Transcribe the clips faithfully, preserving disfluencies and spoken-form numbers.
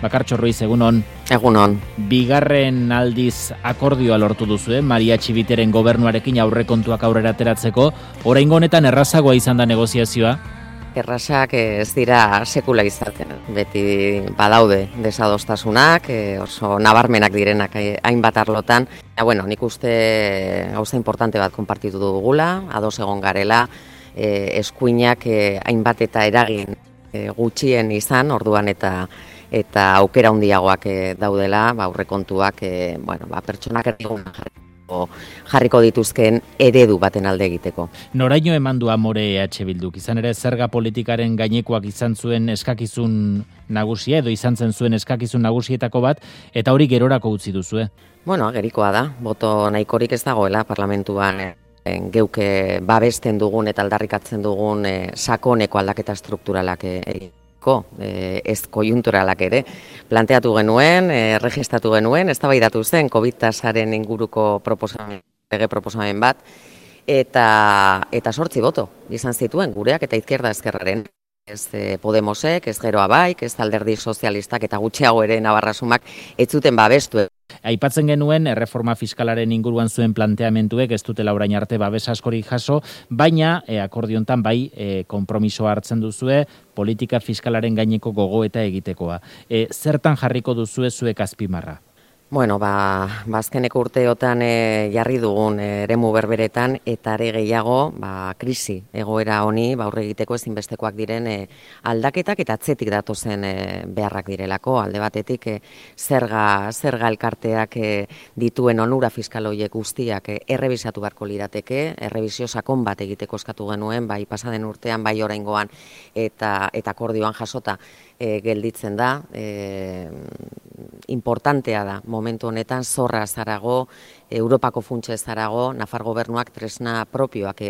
Bakartxo Ruiz, egunon. Egunon. Bigarren aldiz akordioa lortu duzu, eh? Maria Txibiteren gobernuarekin aurrekontuak aurrera ateratzeko. Oraingo honetan errazagoa izan da negoziazioa? Errazak ez dira sekula izaten. Beti badaude desadostasunak, oso nabarmenak direnak hainbat arlotan. Ja, bueno, nik uste gauza importante bat konpartitu dugula, ados egon garela, eh, eskuinak eh, hainbat eta eragin eh, gutxien izan, orduan eta eta aukera handiagoak eh, daudela, ba, aurrekontuak eh, bueno, ba, pertsonak erdigun jarriko, jarriko dituzken eredu baten alde egiteko. Noraino eman du amore E H Bilduk? Izan ere zerga politikaren gainekoak izan zuen eskakizun nagusia, edo izan zen zuen eskakizun nagusietako bat, eta hori gerorako utzi duzue. Bueno, agerikoa da, boto nahikorik ez dagoela parlamentuan eh, geuke babesten dugun eta aldarrikatzen dugun eh, sakoneko aldaketa strukturalak egin. Eh, ez kojunturalak ere, planteatu genuen, eh, registratu genuen, eztabaidatu zen COVID tasaren inguruko proposamen, lege proposamen bat, eta eta sortzi boto izan zituen gureak eta izquierda ezkerraren. Ez eh, Podemosek, ez Geroa Baik, ez Alderdi Sozialistak eta gutxiago ere Navarrasumak ez zuten babestu. Aipatzen genuen, erreforma fiskalaren inguruan zuen planteamentuek ez dutela orain arte babes askorik jaso, baina e, akordiontan bai e, konpromisoa hartzen duzue, politika fiskalaren gaineko gogoeta egitekoa. E, zertan jarriko duzue zuek azpimarra? Bueno, ba, bazkeneko urteotan e, jarri dugun e, eremu berberetan eta are gehiago ba, krisi egoera honi ba, aurre egiteko ezinbestekoak diren e, aldaketak eta atzetik datozen e, beharrak direlako. Alde batetik e, zerga, zerga elkarteak e, dituen onura fiskal horiek guztiak e, errebisatu beharko lirateke, errebisio sakon bat egiteko eskatu genuen, bai pasaden urtean, bai oraingoan eta, eta akordioan jasota e, gelditzen da. E, importantea da momentu honetan zorra zarago, Europako funtsa zarago, Nafar gobernuak tresna propioak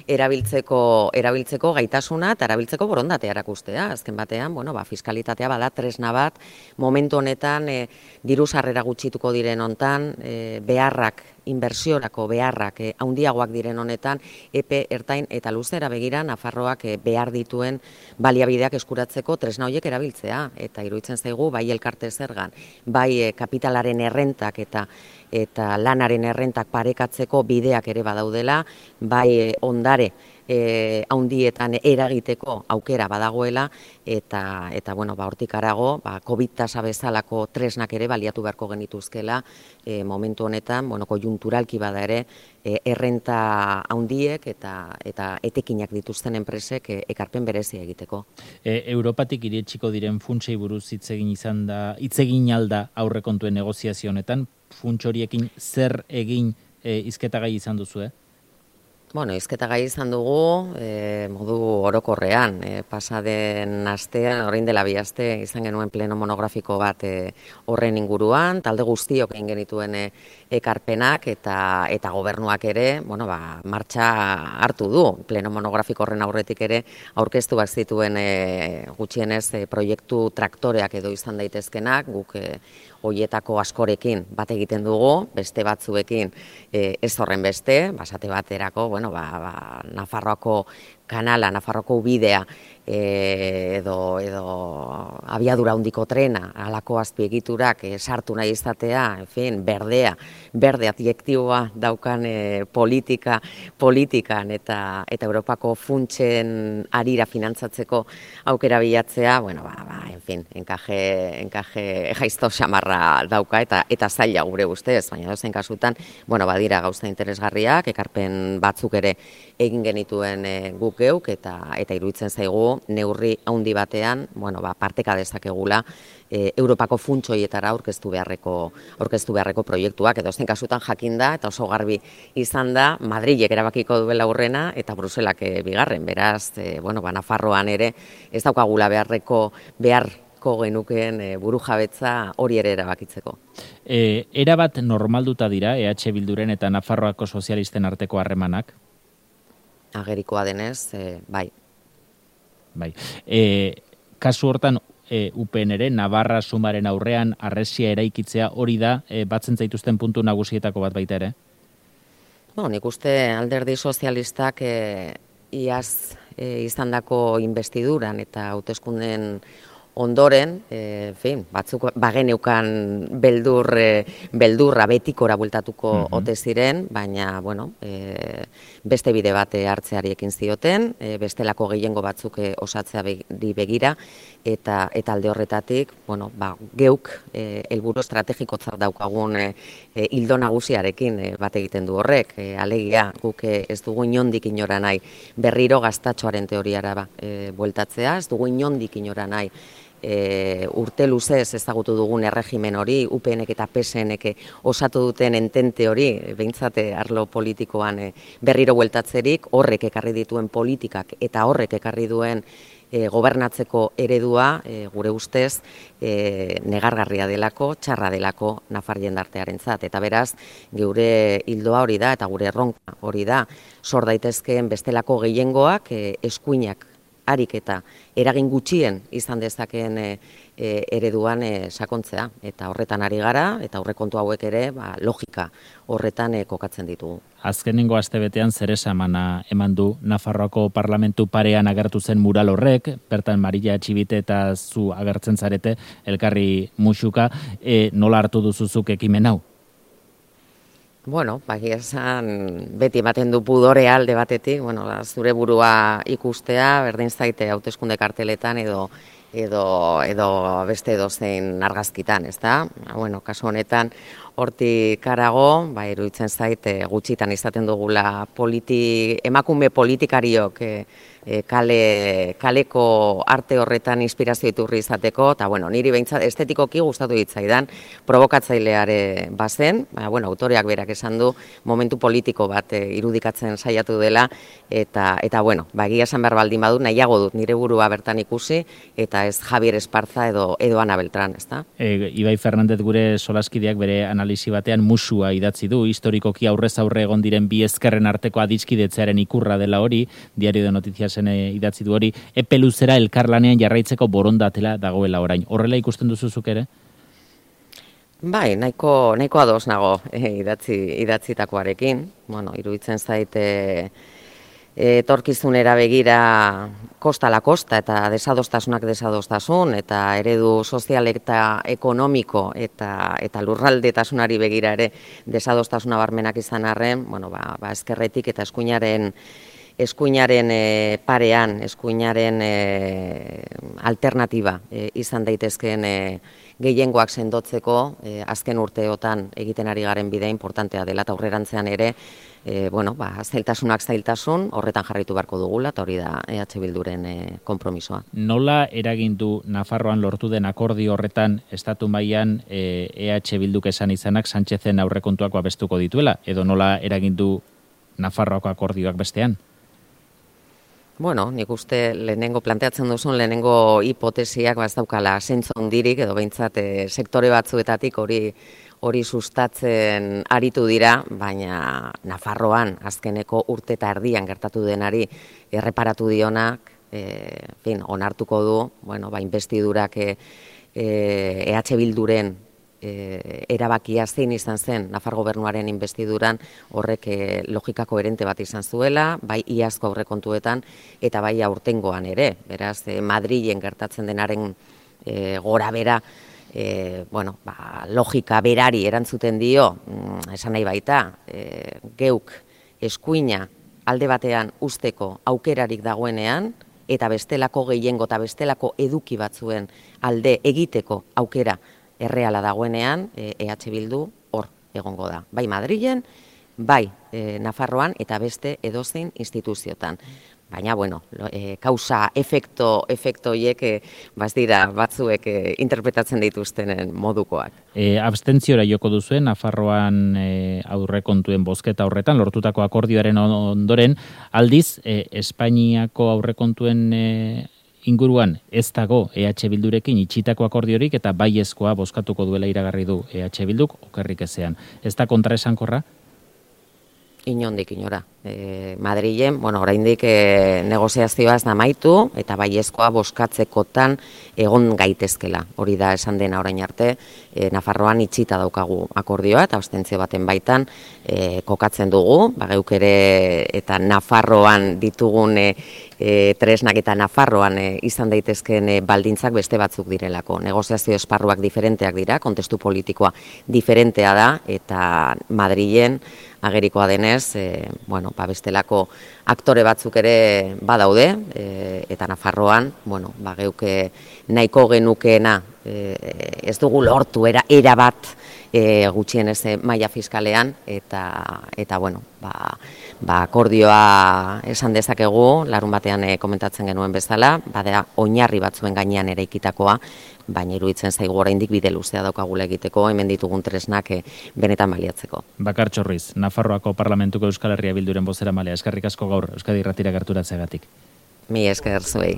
erabiltzeko erabiltzeko gaitasuna eta erabiltzeko borondatea erakustea. Azken batean, bueno, ba, fiskalitatea bada tresna bat, momentu honetan e, diru sarrera gutxituko diren hontan, e, beharrak inbertsiorako beharrak eh, handiagoak diren honetan, epe ertain eta luzera begira Nafarroak eh, behar dituen baliabideak eskuratzeko tresna horiek erabiltzea. Eta iruditzen zaigu, bai elkarte zergan, bai eh, kapitalaren errentak eta eta lanaren errentak parekatzeko bideak ere badaudela, bai eh, ondare E, haundietan eragiteko aukera badagoela eta eta bueno, ba hortik harago, ba COVID tasa bezalako tresnak ere baliatu beharko genituzkela e, momentu honetan, bueno, kojunturalki bada ere e, errenta haundiek eta eta etekinak dituzten enpresek e, ekarpen berezia egiteko. E, Europatik iritsiko diren funtsei buruz hitz egin izan da, hitz egin alda aurrekontuen negoziazio honetan, funts horiekin zer egin e, hizketagai izan duzu, eh? Bueno, hizketa gai izan dugu, e, modu orokorrean, e, pasaden astean, orain dela bi aste, izan genuen pleno monografiko bat e, horren inguruan, talde guztiok egin genituen e, ekarpenak eta eta gobernuak ere, bueno, ba, martxa hartu du, pleno monografiko horren aurretik ere, aurkeztu bat zituen e, gutxienez e, proiektu traktoreak edo izan daitezkenak, guk e, hoietako askorekin bat egiten dugu, beste batzuekin e, ez horren beste, basate baterako, bueno, ba, ba, Nafarroako kanala, Nafarroako bidea e, edo, edo abiadura handiko trena, halako azpiegiturak e, sartu nahi izatea, en fin, berdea, berde adjektiboa daukan e, politika, politikan eta eta Europako funtsen arira finantzatzeko aukera bilatzea, bueno, ba, ba, en fin, enkaje, enkaje jaizto xamarra dauka eta eta zaila gure ustez, baina dozen kasutan, bueno, badira gauza interesgarriak, ekarpen batzuk ere egin genituen e, guk geuk eta eta iruditzen zaigu neurri handi batean, bueno, ba, parteka dezakegula e, Europako funts horietara aurkeztu beharreko aurkeztu beharreko proiektuak, edo zen kasutan jakinda eta oso garbi izan da Madrilek erabakiko duela aurrena eta Bruselak e, bigarren, beraz, e, bueno, ba, Nafarroan ere ez daukagula beharreko beharko genukeen e, burujabetza hori ere erabakitzeko. E, erabat normalduta dira E H Bilduren eta Nafarroako sozialisten arteko harremanak? Agerikoa denez, e, bai. Bai. E, kasu hortan e, U P N ere, Navarra sumaren aurrean harresia eraikitzea hori da e, batzen zaituzten puntu nagusietako bat baita ere? Bueno, nik uste Alderdi Sozialistak e, iaz e, izandako investiduran eta hauteskunden ondoren, e, fin, batzuk bageneukan beldur, e, beldurra betikora bueltatuko mm -hmm. ote ziren, baina, bueno, e, beste bide bat hartzeari ekin zioten, e, bestelako gehiengo batzuk e, osatzea begira, eta eta alde horretatik, bueno, ba, geuk e, helburu estrategikotzat daukagun e, e, ildo nagusiarekin e, bat egiten du horrek, e, alegia guk e, ez dugu inondik inora nahi berriro gaztatxoaren teoriara ba, e, bueltatzea, ez dugu inondik inora nahi E, urte luzez ezagutu dugun erregimen hori, U P N eta P S N osatu duten entente hori, behintzate arlo politikoan e, berriro bueltatzerik, horrek ekarri dituen politikak eta horrek ekarri duen e, gobernatzeko eredua, e, gure ustez, e, negargarria delako, txarra delako nafar jendartearentzat. Eta beraz, geure hildoa hori da, eta gure erronka hori da, sor daitezkeen bestelako gehiengoak, e, eskuinak harik eta eragin gutxien izan dezakeen e, e, ereduan e, sakontzea. Eta horretan ari gara, eta aurrekontu hauek ere ba, logika horretan e, kokatzen ditugu. Azkenengo astebetean zer esamana eman du Nafarroako parlamentu parean agertu zen mural horrek, bertan Maria Etxibite eta zu agertzen zarete elkarri musuka, e, nola hartu duzuzuk ekimen hau? Bueno, bagia esan beti ematen du pudore alde batetik, bueno, zure burua ikustea, berdin zaite hauteskunde karteletan edo edo edo beste edozein argazkitan, ezta? Bueno, kasu honetan hortik harago, ba iruditzen zaite gutxitan izaten dugula politi, emakume politikariok e, e, kale, kaleko arte horretan inspirazio iturri izateko, eta bueno, niri behintzat estetikoki gustatu ditzaidan probokatzaileare bazen, ba, bueno, autoreak berak esan du momentu politiko bat e, irudikatzen saiatu dela, eta eta bueno, ba egia esan behar baldin badut, nahiago dut nire burua bertan ikusi, eta ez Javier Esparza edo edo Ana Beltran, ezta? E, Ibai Fernandez gure solaskideak bere analisi batean musua idatzi du, historikoki aurrez aurre egon diren bi ezkerren arteko adiskidetzearen ikurra dela hori, Diario de Noticiasen idatzi du hori, epe luzera elkarlanean jarraitzeko borondatela dagoela orain. Horrela ikusten duzuzuk ere? Bai, nahiko, nahiko ados nago eh, idatzi, idatzitakoarekin. Bueno, iruditzen zaite etorkizunera begira kosta la kosta eta desadostasunak desadostasun eta eredu sozial eta ekonomiko eta eta lurraldetasunari begira ere desadostasuna barmenak izan arren, bueno, ba, ba ezkerretik eta eskuinaren eskuinaren e, parean, eskuinaren e, alternatiba e, izan daitezkeen e, gehiengoak sendotzeko e, azken urteotan egiten ari garen bidea importantea dela eta aurrerantzean ere E, bueno, ba, zailtasunak zailtasun, horretan jarraitu beharko dugula, eta hori da E H Bilduren e, konpromisoa. Nola eragindu Nafarroan lortu den akordio horretan estatu mailan e, E H Bilduk esan izanak Sánchezen aurrekontuak babestuko dituela, edo nola eragindu Nafarroako akordioak bestean? Bueno, nik uste lehenengo planteatzen duzun lehenengo hipotesiak ez daukala zentzu handirik, edo behintzat e, sektore batzuetatik hori hori sustatzen aritu dira, baina Nafarroan azkeneko urte eta erdian gertatu denari erreparatu dionak, e, fin, onartuko du, bueno, ba, investidurak e, E H Bilduren e, erabakia zein izan zen Nafar gobernuaren investiduran horrek e, logika koherente bat izan zuela, bai iazko aurrekontuetan eta bai aurtengoan ere, beraz e, Madrilen gertatzen denaren e, gora bera, E, bueno, ba, logika berari erantzuten dio, mm, esan nahi baita, e, geuk eskuina alde batean usteko aukerarik dagoenean, eta bestelako gehiengo eta bestelako eduki batzuen alde egiteko aukera erreala dagoenean, e, EH Bildu hor egongo da. Bai Madrilen, bai e, Nafarroan eta beste edozein instituziotan. Baina, bueno, e, kausa, efekto, efekto hiek, e, baz dira, batzuek e, interpretatzen dituztenen modukoak. E, abstentziora joko duzuen, Nafarroan e, aurrekontuen bozketa horretan, lortutako akordioaren ondoren, aldiz, e, Espainiako aurrekontuen e, inguruan ez dago E H Bildurekin itxitako akordiorik eta baiezkoa bozkatuko duela iragarri du E H Bilduk, okerrik ezean. Ez da kontraesankorra? Inondik inora. E, Madrilen, bueno, oraindik e, negoziazioa ez da amaitu eta baiezkoa bozkatzekotan egon gaitezkela. Hori da esan dena orain arte, e, Nafarroan itxita daukagu akordioa eta abstentzio baten baitan e, kokatzen dugu, ba geuk ere eta Nafarroan ditugun e, e, tresnak eta Nafarroan e, izan daitezkeen e, baldintzak beste batzuk direlako. Negoziazio esparruak diferenteak dira, kontestu politikoa diferentea da eta Madrilen agerikoa denez, e, bueno, ba bestelako aktore batzuk ere badaude, e, eta Nafarroan, bueno, ba geuke nahiko genukeena e, ez dugu lortu era, era bat e, gutxienez maila fiskalean, eta, eta bueno, ba, ba akordioa esan dezakegu, larun batean e, komentatzen genuen bezala, badera oinarri batzuen gainean eraikitakoa, baina iruditzen zaigu oraindik bide luzea daukagula egiteko, hemen ditugun tresnak e, benetan baliatzeko. Bakartxo Ruiz, Nafarroako Parlamentuko Euskal Herria Bilduren bozeramalea, eskerrik asko gaur Euskadi Irratira gerturatzeagatik. Mi esker zuei.